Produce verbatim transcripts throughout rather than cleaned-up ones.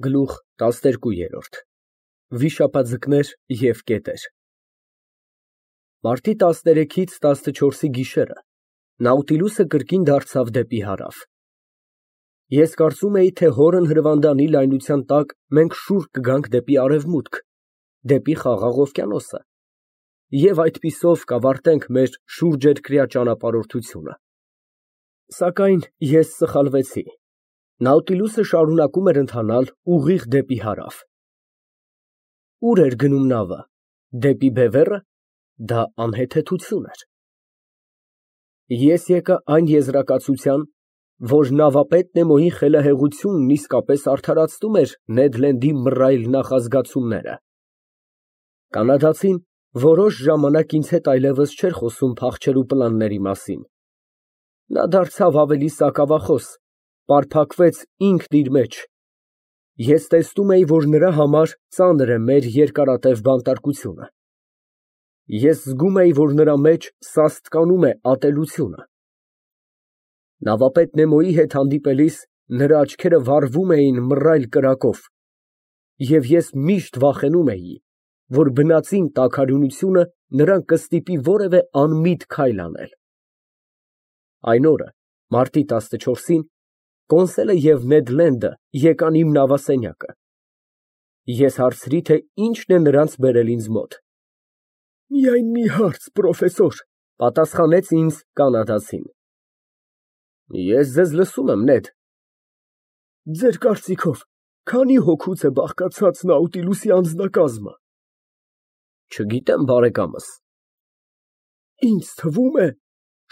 Գլուխ տասներկու։ Վիշապաձկներ և կետեր։ Մարտի տասներեքից տասնչորսի գիշերը Նաուտիլուսը կրկին դարձավ դեպի հարավ։ Ես կարծում էի, թե հորն հրվանդանի լայնության տակ մենք շուռ կգանք դեպի արևմուտք, դեպի Խաղաղ օվկիանոսը, և այդպիսով կավարտենք մեր շուրջերկրյա ճանապարհորդությունը։ Սակայն ես սխալվեցի. Նաուտիլուսը շարունակում էր ընթանալ ուղիղ դեպի հարավ։ Ո՞ւր էր գնում նավը, դեպի բևեռը։ Դա անհեթեթություն էր։ Ես եկա այն եզրակացության, որ նավապետ Նեմոյի խելահեղությունն իսկապես արդարացնում էր Նեդ Լենդի մռայլ նախազգացումները։ Կանադացին որոշ ժամանակ ինձ հետ այլևս չէր խոսում փախչելու պլանների մասին։ Նա դարձավ ավելի սակավախոս, պարփակվեց ինքն իր մեջ։ Ես տեսնում էի, որ նրա համար ծանր է մեր երկարատև բանտարկությունը։ Ես զգում էի, որ նրա մեջ սաստկանում է ատելությունը։ Նավապետ Նեմոյի հետ հանդիպելիս նրա աչքերը վառվում էին մռայլ կրակով, և ես միշտ վախենում էի, որ բնածին տաքարյունությունը նրան կստիպի որևէ անմիտ քայլ անել։ Այն օրը, մարտի տասնչորսին, Կոնսելը և Նեդ Լենդը եկան իմ նավասենյակը։ Ես հարցրի, թե ինչն է նրանց բերել ինձ մոտ։ Միայն մի հարց, պրոֆեսոր, պատասխանեց ինձ կանադացին։ Ես ձեզ լսում եմ, Նեդ։ Ձեր կարծիքով քանի հոգուց է բաղկացած Նաուտիլուսի անձնակազմը։ Չգիտեմ, բարեկամս։ Ինձ թվում է,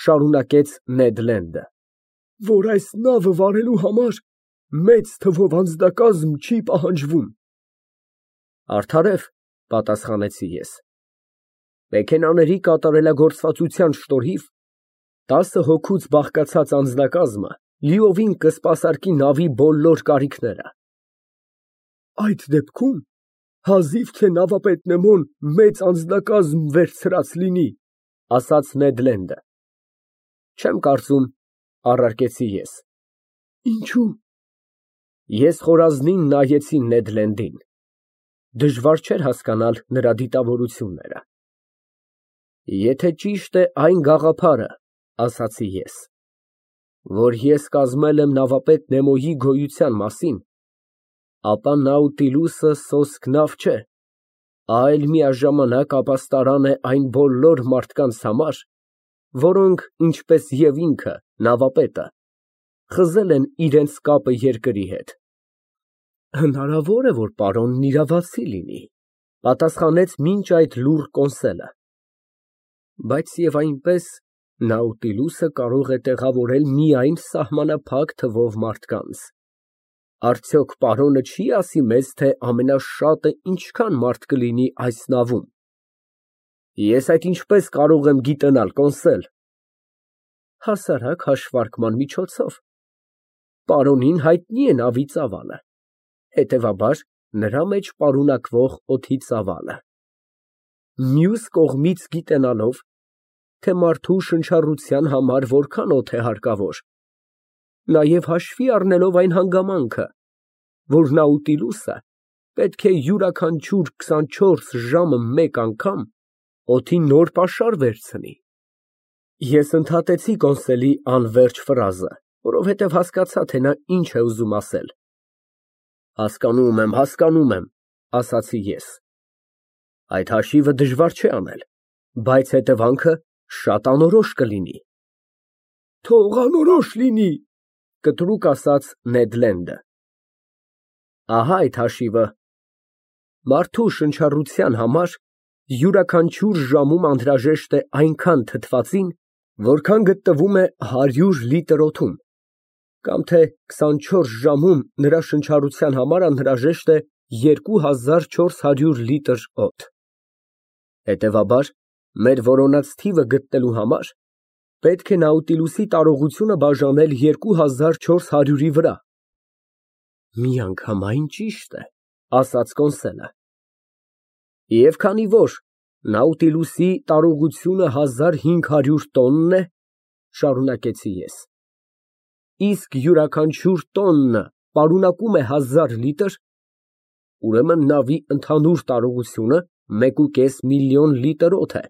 շարունակեց Նեդ Լենդը, որ այս նավը վարելու համար մեծ թվով անձնակազմ չի պահանջվում։ Արդարև, պատասխանեցի ես։ Մեքենաների կատարելագործվածության շնորհիվ տասը հոգուց բաղկացած անձնակազմը լիովին կսպասարկի նավի բոլոր կարիքները։ Այդ դեպքում հազիվ թե նավապետ Նեմոն մեծ անձնակազմ վերցրած լինի, ասաց Նեդ Լենդը։ Չեմ կարծում, առարկեցի ես։ Ինչո՞ւ։ Ես խորազնին նայեցի Նեդ Լենդին։ Դժվար չէր հասկանալ նրա դիտավորությունները։ Եթե ճիշտ է այն գաղափարը, ասացի ես, որ ես կազմել եմ նավապետ Նեմոյի գոյության մասին, ապա Նաուտիլուսը սոսկ նավ չէ, այլ միաժամանակ ապաստարան է այն բոլոր մարդկանց համար, որոնք, ինչպես և ինքը, նավապետը, խզել են իրենց կապը երկրի հետ։ Հնարավոր է, որ պարոնն իրավացի լինի, պատասխանեց մինչ այդ լուռ Կոնսելը։ Բայց և այնպես Նաուտիլուսը կարող է տեղավորել միայն սահմանափակ թվով մարդկանց։ Արդյոք պարոնը չի ասի մեզ, թե ամենաշատը ինչքան մարդ կլինի այս նավում։ Ես այդ ինչպես կարող եմ գիտենալ, Կոնսել։ Հասարակ հաշվարկման միջոցով։ Պարոնին հայտնի է նավի ծավալը, հետևաբար նրա մեջ պարունակվող օդի ծավալը։ Մյուս կողմից գիտենալով, թե մարդու շնչառության համար որքան օդ է հարկավոր, նաև հաշվի առնելով այն հանգամանքը, որ Նաուտիլուսը պետք է յուրաքանչյուր քսանչորս ժամը մեկ անգամ օդի նոր պաշար վերցնի։ Ես ընդհատեցի Կոնսելի անվերջ ֆրազը, որովհետև հասկացա, թե նա ինչ է ուզում ասել։ Հասկանում եմ, հասկանում եմ, ասացի ես։ Այդ հաշիվը դժվար չէ անել, բայց հետևանքը շատ անորոշ կլինի։ Թող անորոշ լինի, կտրուկ ասաց Նեդ Լենդը։ Ահա այդ հաշիվը. մարդու շնչառության համար յուրաքանչյուր ժամում անհրաժեշտ է այնքան թթվածին, որքան գտնվում է հարյուր լիտր օդում, կամ թե քսանչորս ժամում նրա շնչառության համար անհրաժեշտ է երկու հազար չորս հարյուր լիտր օդ։ Հետևաբար, մեր որոնած թիվը գտնելու համար պետք է Նաուտիլուսի տարողությունը բաժանել երկու հազար չորս հարյուրի վրա։ Միանգամայն ճիշտ է, ասաց Կոնսելը։ Եվ քանի որ Նաուտիլուսի տարողությունը հազար հինգ հարյուր տոնն է, շարունակեցի ես, իսկ յուրաքանչյուր տոննը պարունակում է հազար լիտր, ուրեմն նավի ընդհանուր տարողությունը մեկուկես միլիոն լիտր օդ է։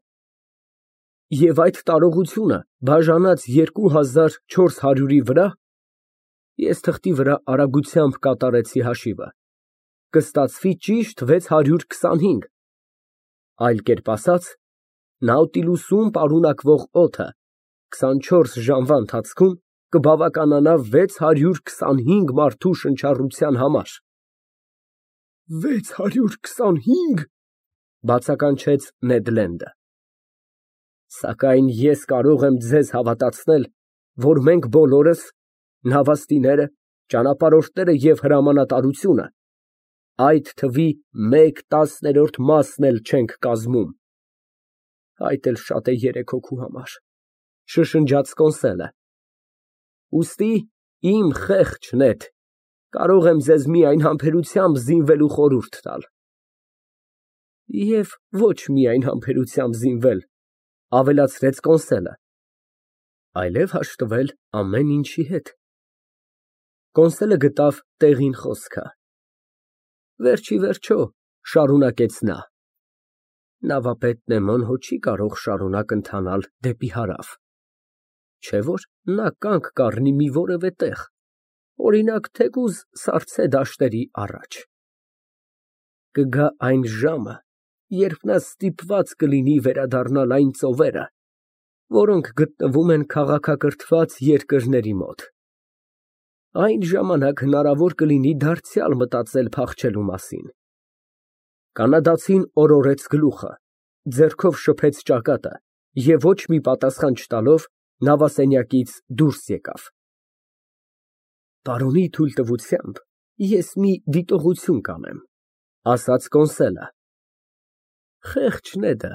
Եվ այդ տարողությունը բաժանած երկու հազար չորս հարյուրի վրա (ես թղթի վրա արագությամբ կատարեցի հաշիվը) կստացվի ճիշտ վեց հարյուր քսանհինգ, այլ կերպ ասած, Նաուտիլուսում պարունակվող օդը քսանչորս ժամվա ընթացքում կբավականանա վեց հարյուր քսանհինգ մարդու շնչառության համար։ «վեց հարյուր քսանհինգ» բացականչեց Նեդ Լենդը։ Սակայն ես կարող եմ ձեզ հավատացնել, որ մենք բոլորս, նավաստիները, ճանապարհորդները և հրամանատարությունը, այդ թվի մեկ տասներորդ մասն էլ չենք կազմում։ Այդ էլ շատ է երեք հոգու համար, շշնջաց Կոնսելը։ Ուստի, իմ խեղճ Նեդ, կարող եմ ձեզ միայն համբերությամբ զինվելու խորհուրդ տալ։ Եվ ոչ միայն համբերությամբ զինվել, ավելացրեց Կոնսելը, այլև հաշտվել ամեն ինչի հետ։ Կոնսելը գտավ տեղին խոսքը։ Վերջիվերջո, շարունակեց նա, նավապետ Նեմոն հո չի կարող շարունակ ընթանալ դեպի հարավ, չէ՞ որ նա կանգ կառնի մի որևէ տեղ, օրինակ, թեկուզ սառցե դաշտերի առաջ։ Կգա այն ժամը, երբ նա ստիպված կլինի վերադառնալ այն ծովերը, որոնք գտնվում են քաղաքակրթված երկրների մոտ։ Այն ժամանակ հնարավոր կլինի դարձյալ մտածել փախչելու մասին։ Կանադացին օրորեց գլուխը, ձեռքով շփեց ճակատը և ոչ մի պատասխան չտալով նավասենյակից դուրս եկավ։ Պարոնի թույլտվությամբ ես մի դիտողություն կանեմ, ասաց Կոնսելը։ Խեղճ Նեդը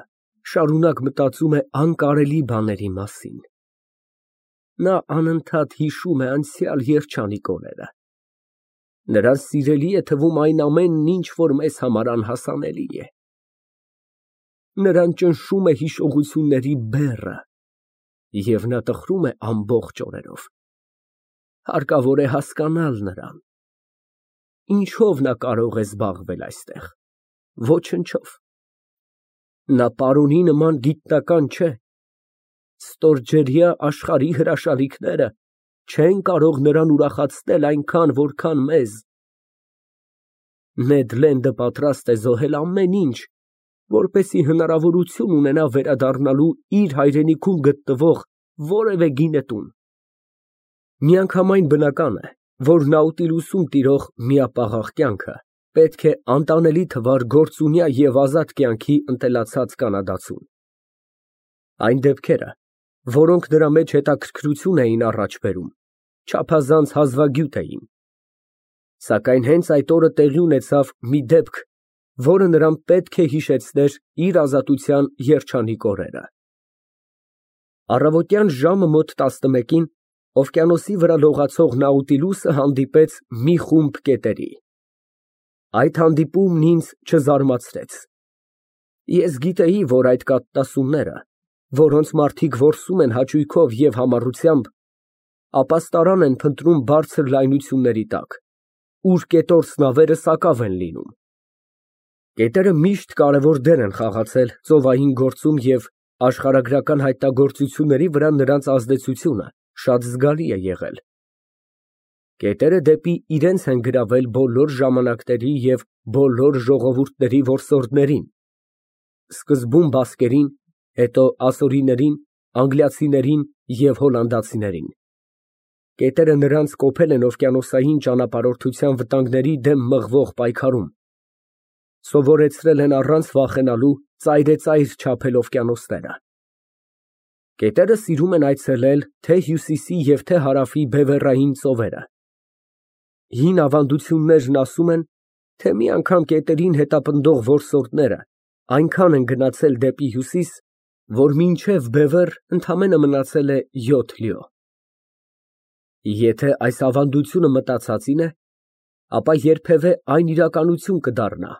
շարունակ մտածում է անկարելի բաների մասին։ Նա անընդհատ հիշում է անցյալ երջանիկ օրերը։ Նրան սիրելի է թվում այն ամենն, ինչ որ մեզ համար անհասանելի է։ Նրան ճնշում է հիշողությունների բեռը, և նա տխրում է ամբողջ օրերով։ Հարկավոր է հասկանալ նրան։ Ինչո՞վ նա կարող է զբաղվել այստեղ։ Ոչնչով։ Նա պարոնի նման գիտնական չէ։ Ստորջրյա աշխարհի հրաշալիքները չեն կարող նրան ուրախացնել այնքան, որքան մեզ։ Նեդ Լենդը պատրաստ է զոհել ամեն ինչ, որպեսզի հնարավորություն ունենա վերադառնալու իր հայրենիքում գտնվող որևէ գինետուն։ Միանգամայն բնական է, որ Նաուտիլուսում տիրող միապաղաղ կյանքը պետք է անտանելի թվար գործունյա և ազատ կյանքի ընտելացած կանադացուն։ Այն դեպքերը, որոնք նրա մեջ հետաքրքրություն էին առաջ բերում, չափազանց հազվագյուտ էին։ Սակայն հենց այդ օրը տեղի ունեցավ մի դեպք, որը նրան պետք է հիշեցներ իր ազատության երջանիկ օրերը։ Առավոտյան ժամը մոտ տասնմեկին օվկիանոսի վրա լողացող Նաուտիլուսը հանդիպեց մի խումբ կետերի։ Այդ հանդիպումն ինձ չզարմացրեց։ Ես գիտեի, որ այդ կաթնասունները, որոնց մարդիկ որսում են հաճույքով և համառությամբ, ապաստարան են փնտրում բարձր լայնությունների տակ, ուր կետորս նավերը սակավ են լինում։ Կետերը միշտ կարևոր դեր են խաղացել ծովային գործում և աշխարհագրական հայտնագործությունների վրա նրանց ազդեցությունը շատ զգալի է եղել։ Կետերը դեպի իրենց են գրավել բոլոր ժամանակների և բոլոր ժողովուրդների որսորդներին, սկզբում բասկերին, հետո ասորիներին, անգլիացիներին և հոլանդացիներին։ Կետերը նրանց կոփել են օվկիանոսային ճանապարհորդության վտանգների դեմ մղվող պայքարում, սովորեցրել են առանց վախենալու ծայրեծայր չափել օվկիանոսները։ Կետերը սիրում են այցելել թե հյուսիսի և թե հարավի բևեռային ծովերը։ Հին ավանդություններն ասում են, թե մի անգամ կետերին հետապնդող որսորդները այնքան են գնացել դեպի հյուսիս, որ մինչև բևեռ ընդամենը մնացել է յոթ լյո։ Եթե այս ավանդությունը մտածածին է, ապա երբևէ այն իրականություն կդառնա,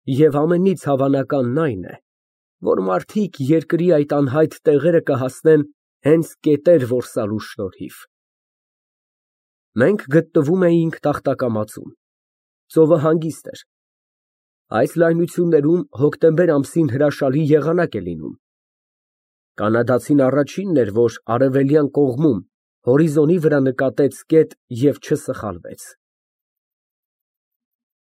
և ամենից հավանականն այն է, որ մարդիկ երկրի այդ անհայտ տեղերը կհասնեն հենց կետեր որսալու շնորհիվ։ Մենք գտնվում էինք տախտակամածում։ Ծովը հանգիստ էր, Այս լայնություններում հոկտեմբեր ամսին հրաշալի եղանակ է լինում։ Կանադացին առաջինն էր, որ արևելյան կողմում հորիզոնի վրա նկատեց կետ և չսխալվեց։